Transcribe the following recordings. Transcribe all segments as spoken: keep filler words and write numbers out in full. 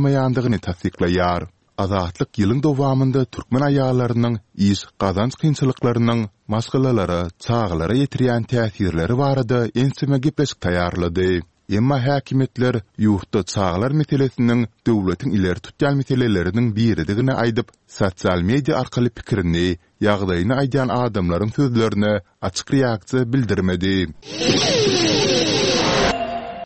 bolmaýandygyny tassyklaýar. Azatlyk ýylyň dowamynda türkmen aýallarynyň iş, gazanç kynçylyklarynyň maşgalalara, çagalara ýetirýän täsirleri barada ençeme gepleşik taýýarlady. Emma häkimiýetler ýurtda çagalar meselesiniň döwletiň ileri tutýan meseleleriniň biridigini aýdyp, sosial media arkaly pikirini, ýagdaýyny aýdýan adamlaryň sözlerine açyk reaksiýa bildirmedi.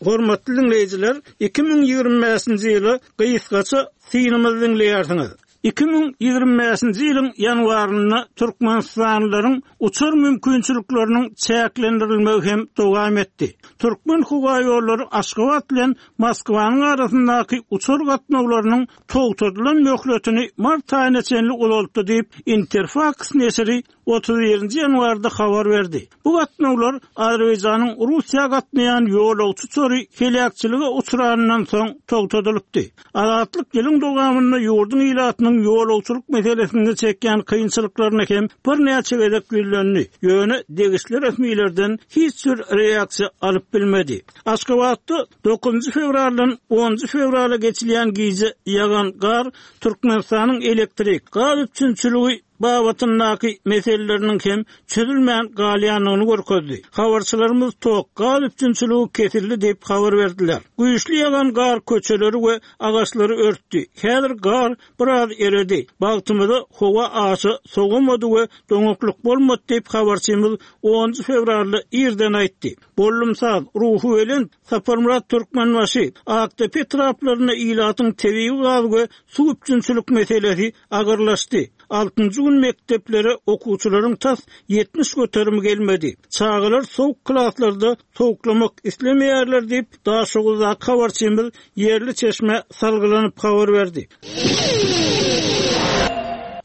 Hormatly diňleýjiler, iki müň ýigrimi bäşinji ýyla gysgaça synymyzy diňleýärsiňiz. Iki müň ýigrimi bäşinji ýylyň ýanwarynda türkmenistanlylaryň uçar mümkinçilikleriniň çäklendirilmegi hem dowam etdi. Türkmenhowaýollary Aşgabat bilen Moskwanyň arasyndaky uçar gatnawlarynyň togtadylan möhletini mart aýyna çenli uzaltdy diýip, Interfaks neşiri otuz birinji ýanwarda habar berdi. Bu gatnawlar Azerbaýjanyň Russiýa gatnaýan ýolagçy uçary heläkçilige uçranyndan soň togtadylypdy. Azatlyk ýylyň dowamynda ýurduň ilatynyň ýolagçylyk meselesinde çekýän kynçylyklaryna hem birnäçe gezek ýüzlendi, ýöne degişli resmilerden hiç bir reaksiýa alyp bilmedi. Aşgabatda dokuzynjy fewraldan onunjy fewrala geçilýän gije ýagan gar Türkmenistanyň elektrik, gaz üpjünçiligi babatyndaky meseleleriniň hem çözülmän galýandygyny görkezdi. Habarçylarymyz tok, gaz üpjünçiligi kesildi diýip habar berdiler. Güýçli ýagan gar köçeleri we agaçlary örtdi. Häzir gar biraz eredi. Bagtymyza howa aşa sowamady we doňaklyk bolmady diýip habarçymyz onunjy fewralda irden aýtdy. Bollumsaz, Ruhubelent, Saparmyrat Türkmenbaşy, Akdepe etraplarynda ilatyň tebigy gaz we suw üpjünçilik meselesi agyrlaşdy. Altynjy gün mekdeplere okuwçylaryň tas ýetmiş göterimi gelmedi. Çagalar sowuk klaslarda sowuklamak islemeýärler diýip, Daşoguzdaky habarçymyz ýerli çeşmä salgylanyp habar berdi.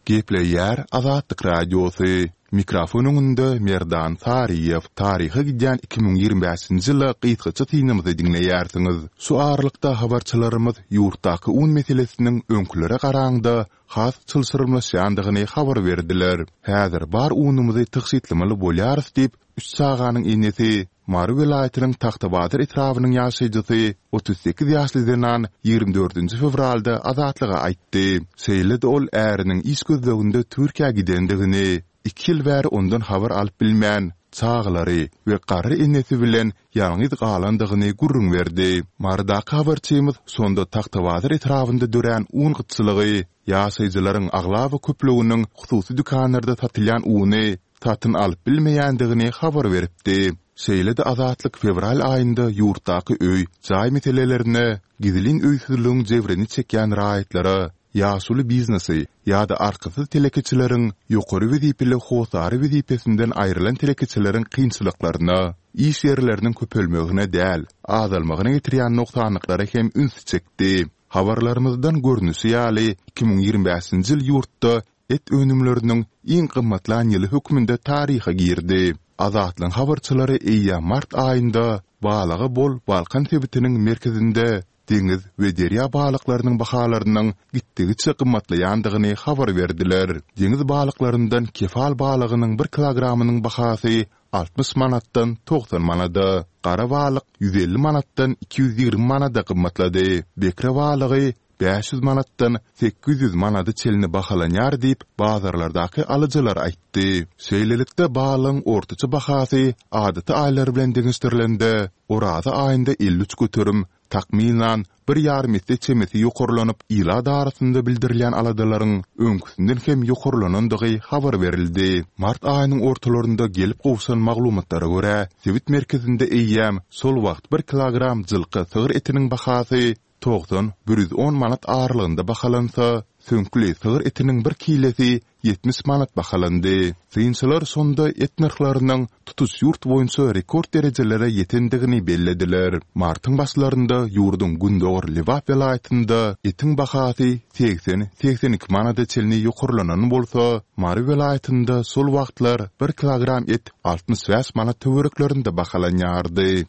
Gepleýär Azatlyk Radiosy. Mikrofon öňünde Merdan Saryýew. Taryha gidýän iki müň ýigrimi bäşinji ýyla gysgaça synymyzy diňleýärsiňiz. Şu aralykda habarçylarymyz ýurtdaky un meselesiniň öňkülere garaňda has çylşyrymlaşýandygyny habar berdiler. Häzir bar unumyzy tygşytlamaly bolýarys diýip, üç çaganyň enesi, Mary welaýatynyň Tagtabazar etrabynyň ýaşaýjysy, otuz sekiz ýaşly zenan ýigrimi dördünji fewralda Azatlyga aýtdy. Şeýle-de ol äriniň iş gözleginde Türkiýä gidendigini, iki ýyl bäri ondan habar alyp bilmän, çagalary we garry enesi bilen ýalňyz galandygyny gürrüň berdi. Marydaky habarçymyz şonda Tagtabazar etrabynda dörän un gytçylygy, ýaşaýjylaryň aglaba köplüginiň hususy dükanlarda satylýan uny satyn alyp bilmeýändigini habar beripdi. Şeýle-de Azatlyk fewral aýynda ýurtdaky öý, jaý meselelerine, gizlin öýsüzligiň jebrini çekýän raýatlara, ýaşuly biznesi ýa-da arkasyz telekeçileriň, ýokary wezipeli hossary wezipesinden aýrylan telekeçileriň kynçylyklaryna, iş ýerleriniň köpelmegine däl, azalmagyna getirýän nogsanlyklara hem ünsi çekdi. Habarlarymyzdan görnüşi ýaly, iki müň ýigrimi bäşinji ýyl ýurtda et önümleriniň iň gymmatlan ýyly hökmünde taryha girdi. Azatlygyň habarçylary eýýäm mart aýynda balyga bol Balkan sebitiniň merkezinde deňiz we derýa balyklarynyň bahalarynyň gitdigiçe gymmatlaýandygyny habar berdiler. Deňiz balyklaryndan kefal balygynyň bir kilogramynyň bahasy altmyş manatdan togsan manada, gara balyk ýüz elli manatdan iki ýüz ýigrimi manada gymmatlady. Bekre balygy bäş ýüz manatdan sekiz ýüz manada çenli bahalanýar diýip, bazarlardaky alyjylar aýtdy. Şeýlelikde, balygyň ortaça bahasy adaty aýlar bilen deňeşdirilende, oraza aýynda elli üç göterim, takmynan, bir ýarym esse çemesi ýokarlanyp, ilat arasynda bildirilýän aladalaryň öňküsinden hem ýokarlanandygy habar berildi. Mart aýynyň ortalarynda gelip gowşan maglumatlara görä, sebit merkezinde eýýäm şol wagt bir kilogram jylka sygyr etiniň bahasy togsan, bir ýüz on manat aralygynda bahalansa, süňkli sygyr etiniň bir kilesi ýetmiş manat bahalandy. Synçylar şonda et nyrhlarynyň tutuş ýurt boýunça rekord derejelere ýetendigini bellediler. Martyň başlarynda ýurduň gündogar Lebap welaýatynda etiň bahasy segsen, segsen iki manada çenli ýokarlanan bolsa, Mary welaýatynda şol wagtlar bir kilogram et altmyş bäş manat töwereklerinde bahalanýardy.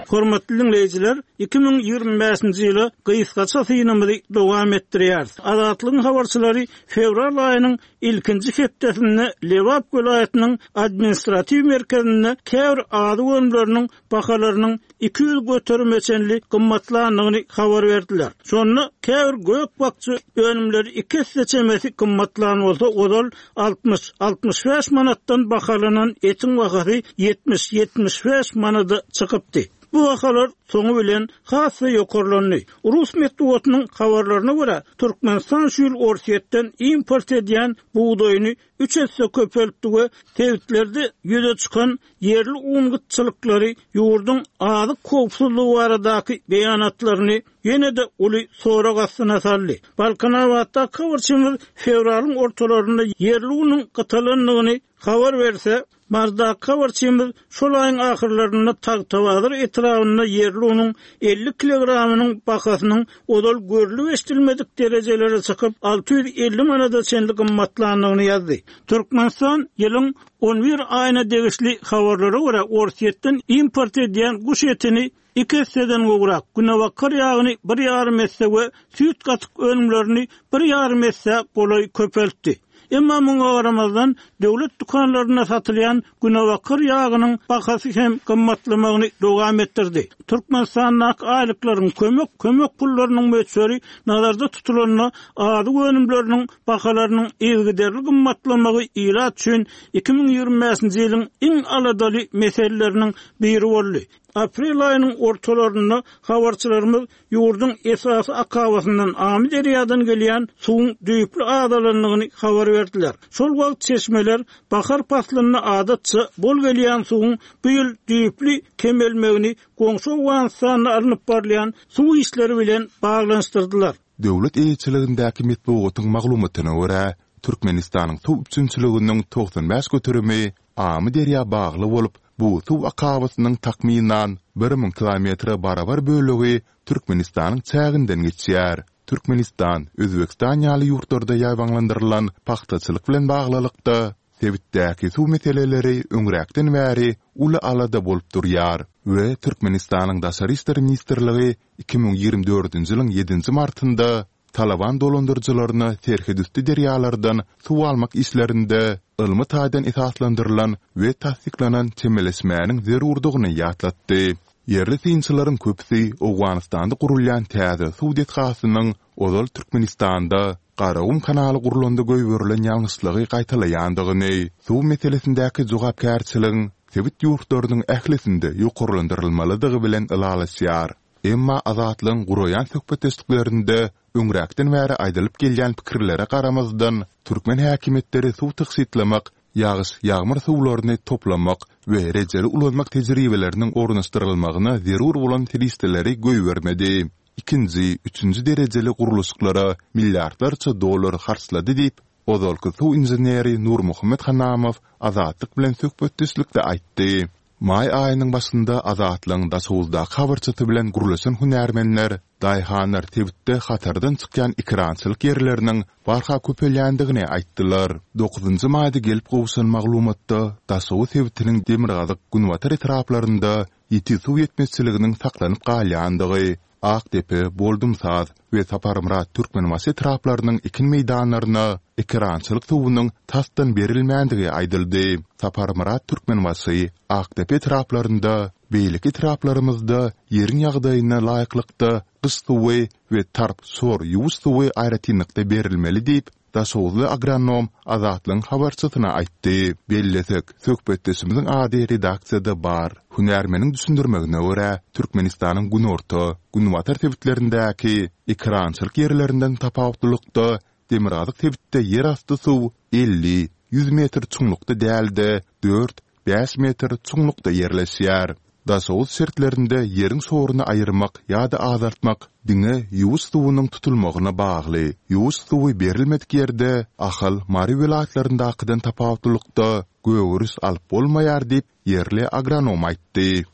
Hormatly diňleýjiler, iki müň ýigrimi bäşinji ýyla gysgaça synymyzy dowam etdirýäris. Azatlygyň habarçylary fewral aýynyň ilkinji hepdesinde Lebap welaýatynyň administratiw merkezinde käbir azyk önümleriniň bahalarynyň iki ýüz göterime çenli gymmatlandygyny habar berdiler. Şonda käbir gök-bakja önümleri iki esse çemesi gymmatlan bolsa, ozal altmyş, altmyş bäş manatdan bahalanan etiň bahasy ýetmiş, ýetmiş bäş manada çykypdy. Bu bahalar soňy bilen has-da ýokarlandy. Rus metbugatynyň habarlaryna görä, Türkmenistan şu ýyl Orsýetden import edýän bugdaýyny üç esse köpeltdi we sebitlerde ýüze çykan ýerli un gytçylyklary ýurduň azyk howpsuzlygy baradaky beýanatlaryny ýene-de uly sorag astyna saldy. Balkanabatda habarçymyz fewralyň ortalarynda ýerli unuň gytalandygyny habar berse, Mardaky habarçymyz şol aýyň ahyrlarynda Tagtabazar etrabynda ýerli unuň elli kilogramynyň bahasynyň ozal görlüp eşidilmedik derejelere çykyp alty ýüz elli manada çenli gymmatlandygyny ýazdy. Türkmenistan ýylyň on bir aýyna degişli habarlara görä Orsýetden import edýän guş etini iki esseden gowrak, günebakar ýagyny bir ýarym esse we süýt gatyk önümlerini bir ýarym esse golaý köpeltdi. Emma muňa garamazdan döwlet dükanlarynda satylýan günebakar ýagynyň bahasy hem gymmatlamagyny dowam etdirdi. Türkmenistandaky aýlyklaryň kömek, kömek pullarynyň möçberi nazarda tutulanda azyk önümleriniň bahalarynyň yzygiderli gymmatlamagy ilat üçin iki müň ýigrimi bäşinji ýylyň iň aladaly meseleleriniň biri boldy. Aprel aýynyň ortalarynda habarçylarymyz ýurduň esasy akabasyndan Amyderýadan gelýän suwuň düýpli azalandygyny habar berdiler. Şol wagt çeşmeler bahar paslynda adatça bol gelýän suwuň bu ýyl düýpli kemelmegini goňşy Owganystanda alnyp barylýan suw işleri bilen baglanyşdyrdylar. Döwlet eýeçiligindäki metbugatyň maglumatyna görä, Türkmenistanyň suw üpjünçiliginiň togsan bäş göterimi Amyderýa bagly bolup, bu suw akabasynyň takmynan bir müň kilometre barabar bölegi Türkmenistanyň çäginden geçýär. Türkmenistan, Özbegistan ýaly ýurtlarda ýaýbaňlandyrylan pagtaçylyk bilen baglylykda sebitdäki suw meseleleri öňräkden bäri uly alada bolup durýar we Türkmenistanyň Daşary işler ministrligi iki müň ýigrimi dördünji ýylyň ýedinji martynda Talaban dolandyryjylaryna serhetüsti derýalardan suw almak işlerinde ylmy taýdan esaslandyrylan we tassyklanan çemeleşmäniň zerurdygyny ýatlatdy. Ýerli synçylaryň köpüsi Owganystanda gurulýan täze suw desgasynyň ozal Türkmenistanda Garagum kanaly gurlanda goýberilen ýalňyşlygy gaýtalaýandygyny, suw meselesindäki jogapkärçiligiň sebit ýurtlarynyň ählisinde ýokarlandyrylmalydygy bilen ylalaşýar. Emma Azatlygyň guraýan söhbetdeşliklerinde öňräkden bäri aýdylyp gelýän pikirlere garamazdan, türkmen häkimiýetleri suw tygşytlamak, ýagyş, ýagmyr suwlaryny toplamak we rejeli ulanmak tejribeleriniň ornaşdyrylmagyna zerur bolan serişdeleri goýbermedi. Ikinji, üçünji derejeli gurluşyklara milliardlarça dollar harçlady diýip, ozalky suw inženeri Nurmuhammet Hanamow Azatlyk bilen söhbetdeşlikde aýtdy. Maý aýynyň başynda Azatlygyň Daşoguzdaky habarçysy bilen gürleşen hünärmenler daýhanlar sebitde hatardan çykýan ekerançylyk ýerleriniň barha köpelýändigini aýtdylar. Dokuzynjy maýda gelip gowşan maglumatda Daşoguz sebitiniň demirgazyk-günbatar etraplarynda ýiti suw ýetmezçiliginiň saklanyp galýandygy, Akdepe, Boldumsaz we Saparmyrat Türkmenbaşy etraplarynyň ekin meýdanlaryna ekerançylyk suwunyň tasdan berilmändigi aýdyldy. Saparmyrat Türkmenbaşy, Akdepe etraplarynda, beýleki etraplarymyzda ýeriň ýagdaýyna laýyklykda gyş suwy we tarp şor ýuwuş suwy aýratynlykda berilmeli diýip, Daşoguzly agronom Azatlygyň habarçysyna aýtdy. Bellesek, söhbetdeşimiziň ady redaksiýada bar. Hünärmeniň düşündirmegine görä, Türkmenistanyň günorta, günbatar sebitlerindäki ekerançylyk ýerlerinden tapawutlylykda, demirgazyk sebitde ýerasty suw elli, ýüz metr çuňlukda däl-de, dört, bäş metr çuňlukda ýerleşýär. Daşoguz şertlerinde ýeriň şoruny aýyrmak ýa-da azaltmak diňe ýuwuş suwunyň tutulmagyna bagly. Ýuwuş suwy berilmedik ýerde Ahal, Mary welaýatlaryndakydan tapawutlylykda gögeriş alyp bolmaýar diýip, ýerli agronom aýtdy.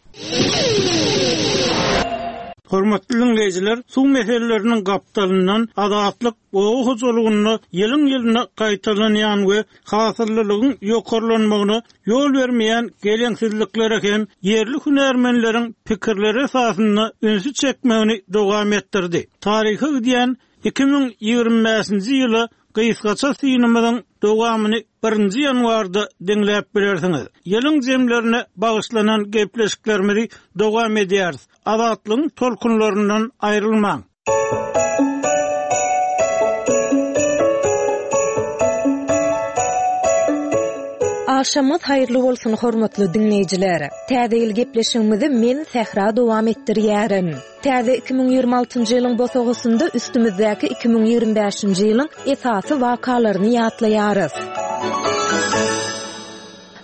Hormatly diňleýjiler, suw meseleleriniň gapdalyndan Azatlyk oba hojalygynda ýylyň-ýylyna gaýtalanýan we hasyllylygyň ýokarlanmagyna ýol bermeýän geleňsizliklere hem ýerli hünärmenleriň pikirleri esasynda ünsi çekmegini dowam etdirdi. Taryha gidýän iki müň ýigrimi bäşinji ýyla gysgaça synymyzyň dowamyny birinji ýanwarda diňläp bilersiňiz. Ýylyň jemlerine bagyşlanan gepleşiklerimizi dowam edýäris. Azatlygyň tolkunlaryndan aýrylmaň. Agşamyňyz haýyrly bolsun hormatly diňleýjiler. Täze ýyl gepleşigimizi men Sähra dowam etdirýärin. Täze iki müň ýigrimi altynjy ýylyň bosagasynda üstümizdäki iki müň ýigrimi bäşinji ýylyň esasy wakalaryny ýatlaýarys.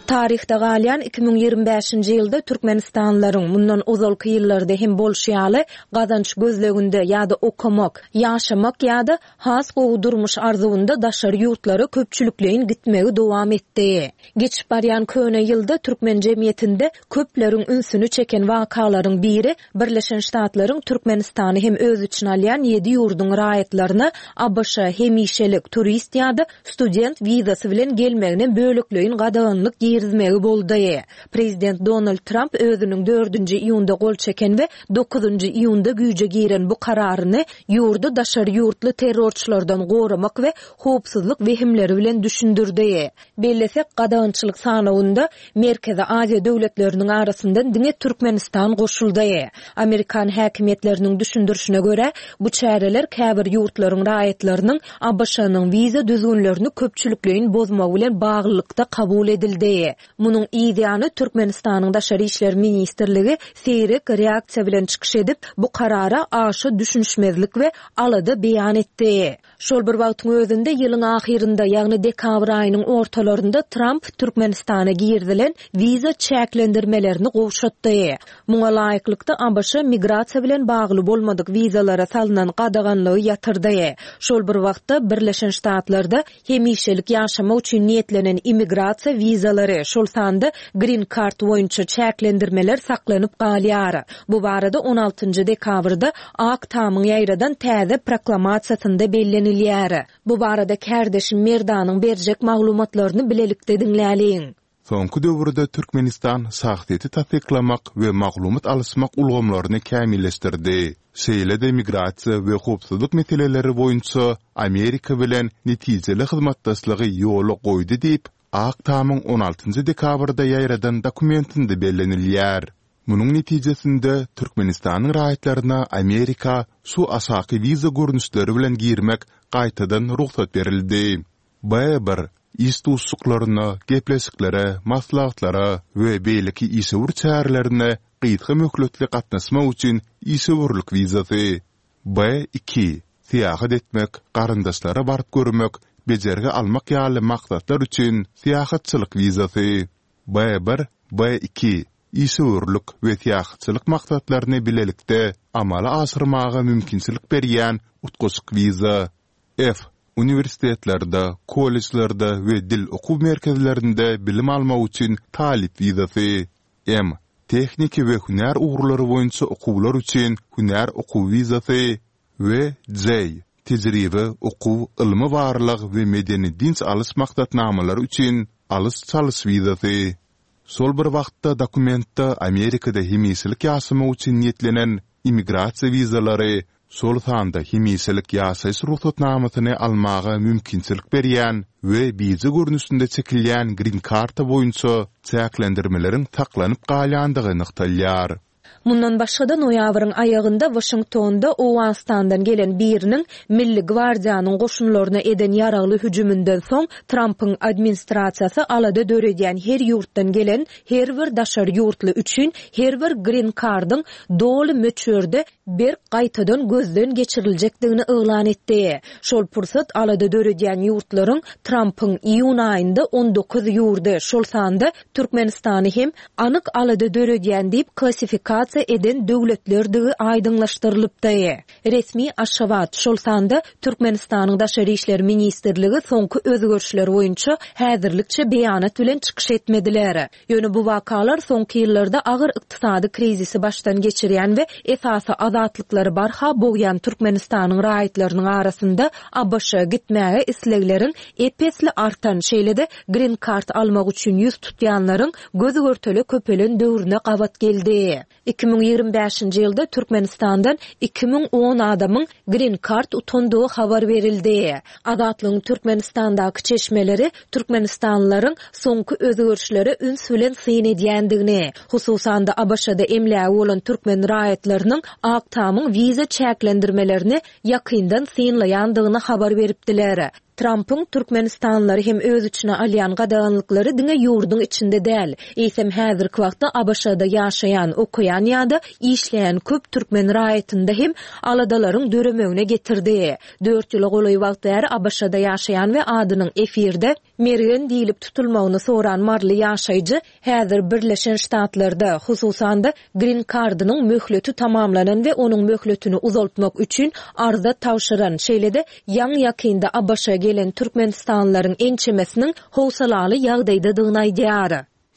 Taryhda galýan iki müň ýigrimi bäşinji ýylda Türkmenistanlylaryň mundan ozalky ýyllarda hem bolşy ýaly gazanç gözleginde ýa-da okamak, ýaşamak ýa-da has gowy durmuş arzuwynda daşary ýurtlara köpçülikleýin gitmegi dowam etdi. Geçip barýan köne ýylda türkmen jemgyýetinde köpleriň ünsüni çeken wakalaryň biri Birleşen Ştatlaryň Türkmenistany hem öz içine alýan ýedi ýurduň raýatlaryna A B Ş hemişelik turist ýa-da student wizasy bilen gelmegine bölekleýin gadaganlyk girizmegi boldy. Prezident Donald Trump özüniň dördünji iýunda gol çeken we dokuzynjy iýunda güýje giren bu kararyny ýurdy daşary ýurtly terrorçylardan goramak we howpsuzlyk wehimleri bilen düşündirdi. Bellesek, gadagançylyk sanawynda Merkezi Aziýa döwletleriniň arasyndan diňe Türkmenistan goşuldy. Amerikan häkimiýetleriniň düşündirişine görä, bu çäreler käbir ýurtlaryň raýatlarynyň A B Ş-nyň wiza düzgünlerini köpçülikleýin bozmagy bilen baglylykda kabul edildi. Munuň ýany Türkmenistanyň Daşary İşler Ministrligi seýrek reaksiýa bilen çykyş edip, bu karara aşa düşünişmezlik we alada beýan etdi. Şol bir wagtyň özünde ýylyň ahyrynda, ýagny dekabr aýynyň ortalarynda Trump Türkmenistana girdilen wiza çäklendirmelerini gowşatdy. Muňa laýyklykda A B Ş migrasiýa bilen bagly bolmadyk wizalara salynan gadaganlygy ýatyrdy. Şol bir wagtda Birleşen Ştatlarda hemişelik ýaşamak üçin niýetlenen immigrasiýa wizalary, şol sanda Green Card boýunça çäklendirmeler saklanyp galýar. Bu barada on altynjy dekabrda Ak Tamyň ýaýradan täze proklamasiýasynda bellenilýär. Bu barada kärdeşim Merdanyň berjek maglumatlaryny bilelikde diňläliň. Soňky döwürde Türkmenistan şahsyýeti tassyklamak we maglumat alyşmak ulgamlaryny kämilleşdirdi. Şeýle-de migrasiýa we howpsuzlyk meseleleri boýunça Amerika bilen netijeli hyzmatdaşlygy ýola goýdy diýip, Ak Tamyň on altynjy dekabrda ýaýradan dokumentinde bellenilýär. Munuň netijesinde Türkmenistanyň raýatlaryna Amerika şu aşaky wiza görnüşleri bilen girmek gaýtadan rugsat berildi. B bir iş duşuşyklaryna, gepleşiklere, maslahatlara we beýleki işewür çärelerine gysga möhletli gatnaşmak üçin işewürlik wizasy. B iki syýahat etmek, garyndaşlara baryp görmek, bejergi almak ýaly maksatlar üçin syýahatçylyk wizasy. B bir, B iki işewürlik we syýahatçylyk maksatlaryny bilelikde amala aşyrmaga mümkinçilik berýän utgaşyk wiza. F uniwersitetlerde, kollejlerde we dil okuw merkezlerinde bilim almak üçin talyp wizasy. M tehniki we hünär ugurlary boýunça okuwlar üçin hünär okuw wizasy we J tejribe, okuw, ylmy barlag we medeni dinç alyş maksatnamalary üçin alyş-çalyş wizasy. Şol bir wagtda dokumentde Amerikada hemişelik ýaşamak üçin niýetlenen immigrasiýa wizalary, şol sanda hemişelik ýaşaýyş rugsatnamasyny almaga mümkinçilik berýän we bije görnüşinde çekilýän green karta boýunça çäklendirmeleriň saklanyp galýandygy nygtalýar. Mundan başga-da noýabryň aýagynda Washingtonda Owganystandan gelen biriniň Milli gwardiýanyň goşunlaryna eden ýaragly hüjüminden soň Trumpyň administrasiýasy alada döredýän her ýurtdan gelen her bir daşary ýurtly üçin her bir green cardyň doly möçberde berk gaýtadan gözden geçiriljekdigini yglan etdi. Şol pursat alada döredýän ýurtlaryň Trumpyň iýun aýynda on dokuz ýurdy, şol sanda Türkmenistany hem anyk alada döredýän diýip klassifikasiýa deportasiýa eden döwletlerdigi aýdyňlaşdyrylypdy. Resmi Aşgabat, şol sanda Türkmenistanyň Daşary işler ministrligi soňky özgerişler boýunça häzirlikçe beýanat bilen çykyş etmediler. Ýöne bu wakalar soňky ýyllarda agyr ykdysady krizisi başdan geçirýän we esasy azatlyklary barha bogýan Türkmenistanyň raýatlarynyň arasynda ABŞ-a gitmäge islegleriň ep-esli artan, şeýle-de Green Card almak üçin ýüz tutýanlaryň göz-görtele köpelen döwrüne gabat geldi. Iki müň ýigrimi bäşinji ýylda Türkmenistandan iki müň on adamyň Green Card utandygy habar berildi. Azatlygyň Türkmenistandaky çeşmeleri türkmenistanlylaryň soňky özgerişlere üns bilen syn edýändigini, hususan-da ABŞ-da emlägi bolan türkmen raýatlarynyň Ak Tamyň wiza çäklendirmelerini ýakyndan synlaýandygyny habar beripdiler. Trampyň türkmenistanlylary hem öz içine alýan gadaganlyklary diňe ýurduň içinde däl, eýsem häzirki wagtda ABŞ-da ýaşaýan, okaýan ýa-da işleýän köp türkmen raýatynda hem aladalaryň döremegine getirdi. Dört ýyla golaý wagt bäri ABŞ-da ýaşaýan we adynyň efirde Mergen diýlip tutulmagyny soran maryly ýaşaýjy häzir Birleşen Ştatlarda, hususan-da, Green Card-nyň möhleti tamamlanan we onuň möhletini uzaltmak üçin arza tabşyran, şeýle-de ýaňy-ýakynda ABŞ-a gelen türkmenistanlylaryň ençemesiniň howsalaly ýagdaýdadygyny aýdýar.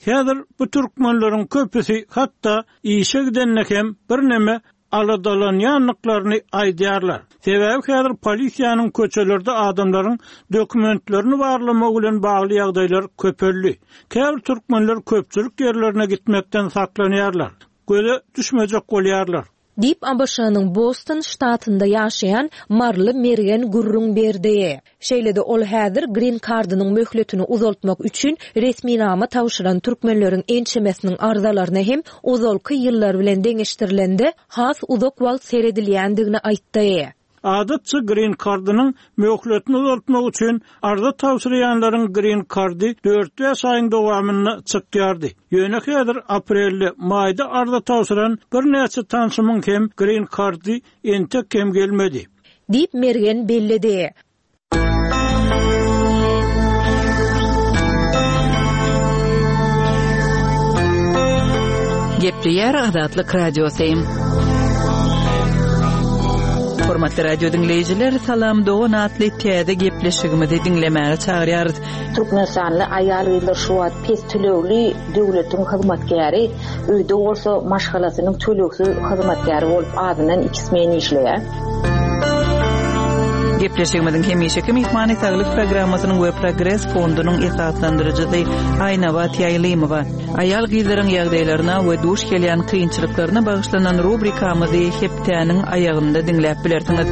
Häzir bu türkmenleriň köpüsi hatda işe gidende hem birneme aladalanýandyklaryny aýdýarlar. Sebäbi häzir polisiýanyň köçelerde adamlaryň dokumentlerini barlamagy bilen bagly ýagdaýlar köpeldi. Käbir türkmenler köpçülik ýerlerine gitmekden saklanýarlar, göze düşmejek bolýarlar. Diýip, ABŞ-nyň Boston ştatynda ýaşaýan maryly Mergen gürrüň berdi. Şeýle-de ol häzir Green Card-nyň möhletini uzaltmak üçin resminama tabşyran türkmenleriň ençemesiniň arzalaryna hem ozalky ýyllar bilen deňeşdirilende has uzak wagt seredilýändigini aýtdy. Adatça Green Card-nyň möhletini uzaltmak üçin arza tabşyrýanlaryň Green Card-y dört-bäş aýyň dowamynda çykýardy. Ýöne häzir aprelde, maýda arza tabşyran birnäçe tanşymyň hem Green Card-y entek hem gelmedi. Diýip, Mergen belledi. Gepleýär Azatlyk Radiosy. Hormatly radio diňleýjiler, Salam dogan atly täze gepleşigimizi diňlemäge çagyrýarys. Türkmenistanly aýal-gyzlar şu wagt pes tölegli döwletiň hyzmatkäri, öýde bolsa maşgalasynyň tölegsiz hyzmatkäri bolup azyndan iki smen işleýär. Gepleşigimiziň hemişeki myhmany Saglyk programmasynyň we Progres fondunyň esaslandyryjysy Aýnabat Ýaýlymowa. Aýal-gyzlaryň ýagdaýlaryna we duş gelýän kynçylyklaryna bagyşlanan rubrikamyzy hepdäniň aýagynda diňläp bilersiňiz.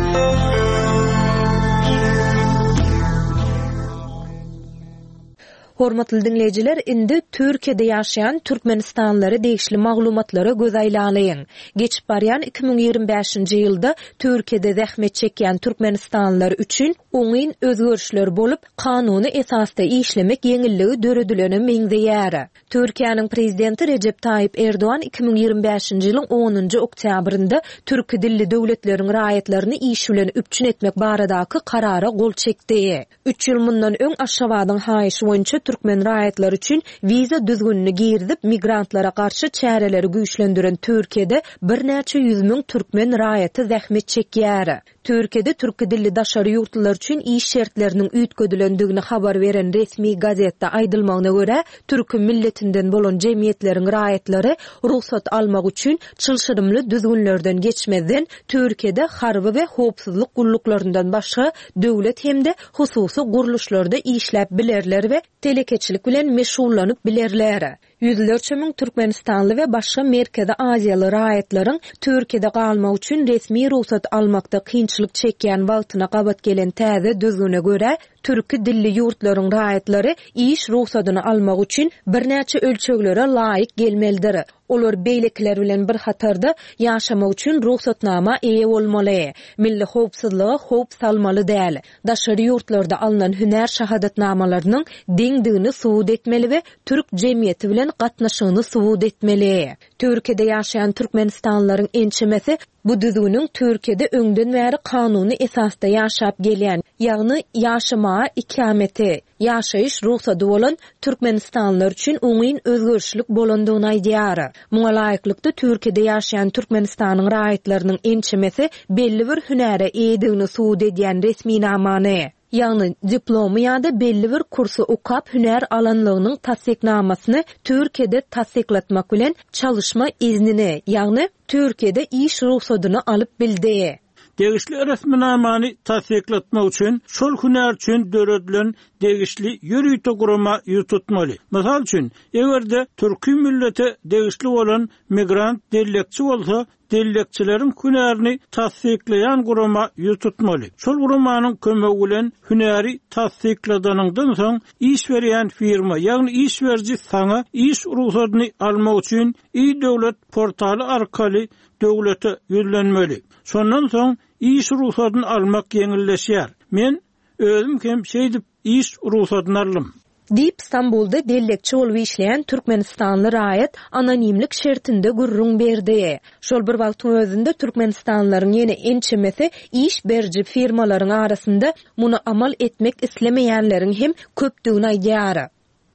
Hormatly diňleýjiler, indi Türkiýede ýaşaýan türkmenistanlylara degişli maglumatlara göz aýlalyň. Geçip barýan iki müň ýigrimi bäşinji ýylda Türkiýede zähmet çekýän türkmenistanlylar üçin oňyn özgerişler bolup, kanuny esasda işlemek ýeňilligi döredilene meňzeýär. Türkiýäniň prezidenti Rejep Taýyp Erdogan iki müň ýigrimi bäşinji ýylyň onunjy oktýabrynda türki dilli döwletleriň raýatlaryny iş bilen üpjün etmek baradaky karara gol çekdi. Üç ýyl mundan öň Aşgabadyň haýyşy boýunça türkmen raýatlary üçin wiza düzgünini girizip, migrantlara garşy çäreleri güýçlendiren Türkiýede birnäçe ýüz müň türkmen raýaty zähmet çekýär. Türkiýede türki dilli daşary ýurtlular üçin iş şertleriniň üýtgedilendigini habar beren resmi gazetde aýdylmagyna görä, türki milletinden bolan jemgyýetleriň raýatlary rugsat almak üçin çylşyrymly düzgünlerden geçmezden Türkiýede harby we howpsuzlyk gulluklaryndan başga döwlet hem-de hususy gurluşlarda işläp bilerler we telekeçilik bilen meşgullanyp bilerler. Ýüzlerçe müň türkmenistanly we başga Merkezi Aziýaly raýatlaryň Türkiýede galmak üçin resmi rugsat almakda kynçylyk çekýän wagtyna gabat gelen täze düzgüne görä, türki dilli ýurtlaryň raýatlary iş rugsadyny almak üçin birnäçe ölçeglere laýyk gelmelidir. Olar beýlekiler bilen bir hatarda ýaşamak üçin rugsatnama eýe bolmaly, milli howpsuzlyga howp salmaly däl, daşary ýurtlarda alnan hünär şahadatnamalarynyň deňdigini subut etmeli we türk jemgyýeti bilen bilen gatnaşygyny subut etmeli. Türkiýede ýaşaýan türkmenistanlylaryň ençemesi bu düzgüniň Türkiýede öňden bäri kanuny esasda ýaşap gelýän, ýagny ýaşamaga ikameti, ýaşaýyş rugsady bolan türkmenistanlylar üçin oňyn özgerişlik bolandygyny aýdýar. Muňa laýyklykda Türkiýede ýaşaýan Türkmenistanyň raýatlarynyň ençemesi belli bir hünäre eýedigini subut edýän resminamany, ýagny diplomy ýa-da belli bir kursy okap hünär alanlygynyň tassyknamasyny Türkiýede tassyklatmak bilen çalyşma iznini, ýagny Türkiýede iş rugsadyny alyp bildi. Degişli resminamany tassyklatmak üçin şol hünär üçin döredilen degişli ýörite gurama ýüz tutmaly. Mysal üçin, eger-de türki millete degişli bolan migrant dellekçi bolsa, dellekçileriň hünärini tassyklaýan gurama ýüz tutmaly. Şol guramanyň kömegi bilen hünäri tassykladandan soň iş berýän firma, ýagny iş beriji saňa iş rugsadyny almak üçin e-döwlet portaly arkaly döwlete ýüzlenmeli. Şondan soň iş rugsadyny almak ýeňilleşýär. Men özüm hem şeýdip iş rugsadyny aldym. Diýip Stambulda dellekçi bolup işleýän Türkmenistanly raýat anonimlik şertinde gürrüň berdi. Şol bir wagtyň özünde Türkmenistanlylaryň ýene ençemesi iş beriji firmalaryň arasynda muny amal etmek islemeýänleriň hem köpdügini aýdýar.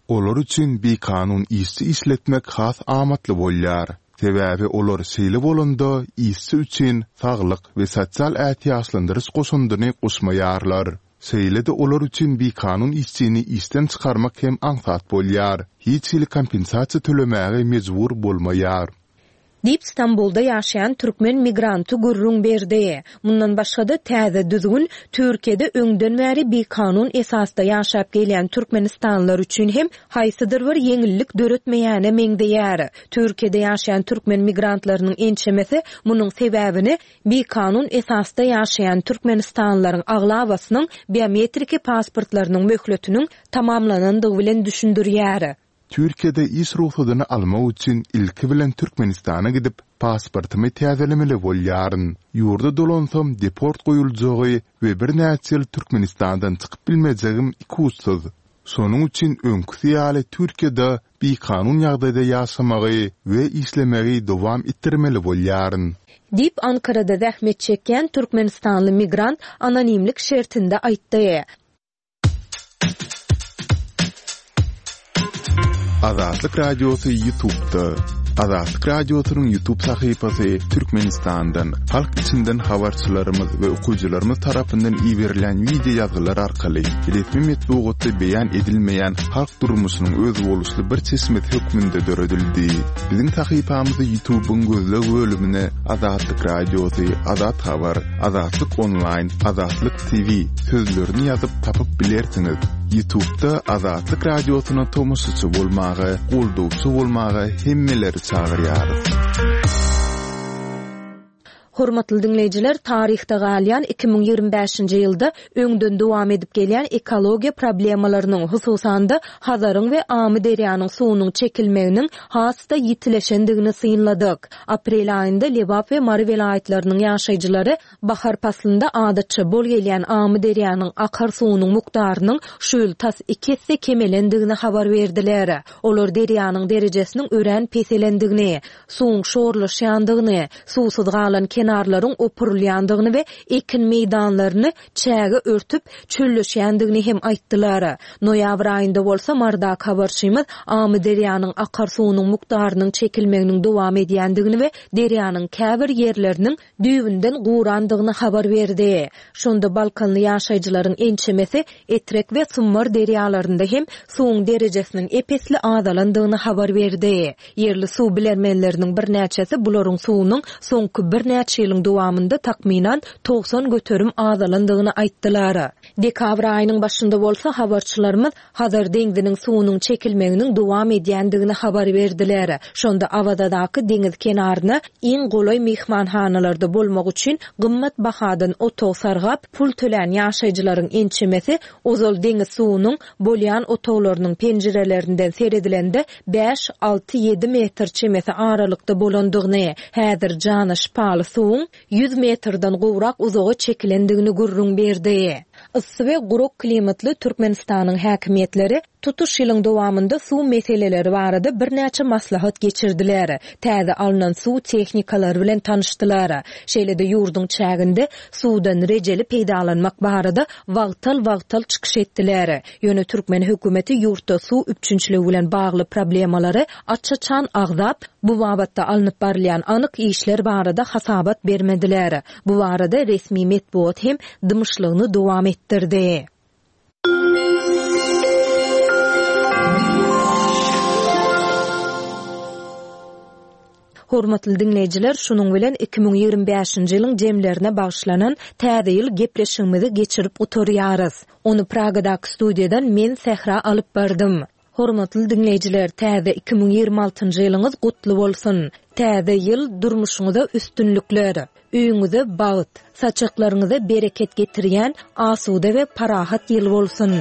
Olar üçin bikanun işçi işletmek has amatly bolýar. Sebäbi olar şeýle bolanda işçi üçin saglyk we sosial ätiýaçlandyryş goşundyny goşmaýarlar. Şeýle-de olar üçin bikanun işçini işden çykarmak hem aňsat bolýar. Hiç hili kompensasiýa tölemäge mejbur bolmaýar. Diýip Stambulda ýaşaýan türkmen migranty gürrüň berdi. Mundan başga-da täze düzgün Türkiýede öňden bäri bikanun esasda ýaşap gelýän türkmenistanlylar üçin hem haýsydyr bir ýeňillik döretmeýäne meňzeýär. Türkiýede ýaşaýan türkmen migrantlarynyň ençemesi munuň sebäbini bikanun esasda ýaşaýan türkmenistanlylaryň aglabasynyň biometriki pasportlarynyň möhletiniň tamamlanandygy bilen düşündirýär. Türkiýede iş rugsadyny almak üçin ilki bilen Türkmenistana gidip pasportymy täzelemeli bolýaryn. Ýurda dolansam deport goýuljagy we birnäçe ýyl Türkmenistandan çykyp bilmejegim ikuçsuz. Şonuň üçin öňküsi ýaly Türkiýede bikanun ýagdaýda ýaşamagy we işlemegi dowam etdirmeli bolýaryn. Diýip Ankarada zähmet çekýän Türkmenistanly migrant anonimlik şertinde aýtdy. Azatlyk Radiosy YouTube'da. Azatlyk Radiosynyň YouTube sahypasy Türkmenistandan, halk içinden habarçylarymyz we okyjylarymyz tarapyndan iberilen wideo ýazgylar arkaly resmi metbugatda beýan edilmeýän halk durmuşynyň özboluşly bir çeşmesi hökmünde döredildi. Biziň sahypamyzy YouTube'yň gözleg bölümine Azatlyk Radiosy, Azat Habar, Azatlyk Online, Azatlyk T V sözlerini ýazyp tapyp bilersiňiz. YouTube'da Azatlyk Radiosyna tomaşaçy bolmaga, goldawçy bolmaga hemmeleri çagyrýarys. Hormatly dinleýjiler, taryhda galýan iki müň ýigrimi bäşinji ýylda öňden dowam edip gelýän ekologiýa problemalarynyň, hususan-da Hazaryň we Amyderýanyň suwunyň çekilmeginiň has-da ýitileşendigini synladyk. Aprel aýynda Lebap we Mary welaýatlarynyň ýaşaýjylary bahar paslynda adatça bol gelýän Amyderýanyň akar suwunyň mukdarynyň şu ýyl tas iki esse kemelendigini habar berdiler. Olar derýanyň derejesiniň örän peselendigini, suwuň şorlaşýandygyny, suwsuz galan kenarlaryň opurylýandygyny we ekin meýdanlaryny çäge örtüp çölleşýändigini hem aýtdylar. Noýabr aýynda bolsa Mardak habarçymyz Amyderýanyň akar suwunyň mukdarynyň çekilmeginiň dowam edýändigini we derýanyň käbir ýerleriniň düýbünden gurandygyny habar berdi. Şonda Balkanly ýaşaýjylaryň ençemesi Etrek we Summar derýalarynda hem suwuň derejesiniň epesli azalandygyny habar berdi. Ýerli suw bilermenleriniň birnäçesi bularyň suwunyň soňky birnäçe ýylyň dowamynda takmynan togsan göterim azalandygyny aýtdylar. Dekabr aýynyň başynda bolsa habarçylarymyz Hazar deňziniň suwunyň çekilmeginiň dowam edýändigini habar berdiler. Şonda Awazadaky deňiz kenaryna iň golaý mehmanhanalarda bolmak üçin gymmat bahadan otag sargap pul tölän ýaşaýjylaryň ençemesi ozal deňiz suwunyň bolýan otaglarynyň penjirelerinden seredilende bäş, alty, ýedi metr çemesi aralykda bolandygyny, häzir jana şypaly suwuň ýüz metrden gowrak uzaga çekilendigini gürrüň berdi. Yssy we gurak klimatly Türkmenistanyň häkimiýetleri tutuş ýylyň dowamynda suw meseleleri barada birnäçe maslahat geçirdiler. Täze alnan suw tehnikalary bilen tanyşdylar. Şeýle-de ýurduň çäginde suwdan rejeli peýdalanmak barada wagtal-wagtal çykyş etdiler. Ýöne türkmen hökümeti ýurtda suw üpjünçiligi bilen bagly problemalary aç-açan agzap, bu babatda alnyp barylýan anyk işler barada hasabat bermediler. Bu barada resmi metbugat hem dymyşlygyny dowam etdirdi. Hormatly diňleýjiler, şunuň bilen iki müň ýigrimi bäşinji ýylyň jemlerine bagyşlanan Täze ýyl gepleşigimizi geçirip gutarýarys. Ony Pragadaky studiýadan men Sähra alyp bardym. Hormatly diňleýjiler, täze iki müň ýigrimi altynjy ýylyňyz gutly bolsun! Täze ýyl durmuşyňyza üstünlikler, öýüňize bagt, saçaklaryňyza bereket getirýän asuda we parahat ýyl bolsun!